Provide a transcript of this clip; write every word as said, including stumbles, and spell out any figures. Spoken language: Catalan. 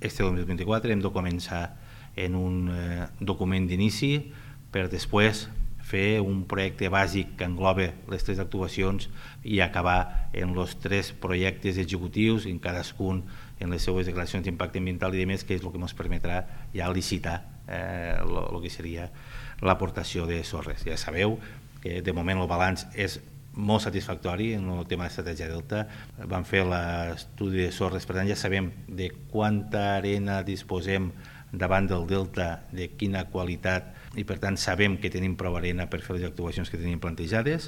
Este dos mil vint-i-quatre hem de començar en un eh, document d'inici per després fer un projecte bàsic que engloba les tres actuacions i acabar en els tres projectes executius, en cadascun en les seues declaracions d'impacte ambiental i demés, que és el que ens permetrà ja licitar eh, el que seria l'aportació de sorres. Ja sabeu que de moment el balanç és molt satisfactori en el tema d'estratègia Delta. Vam fer l'estudi de sorres, per tant ja sabem de quanta arena disposem davant del Delta, de quina qualitat, i per tant sabem que tenim prou arena per fer les actuacions que tenim plantejades.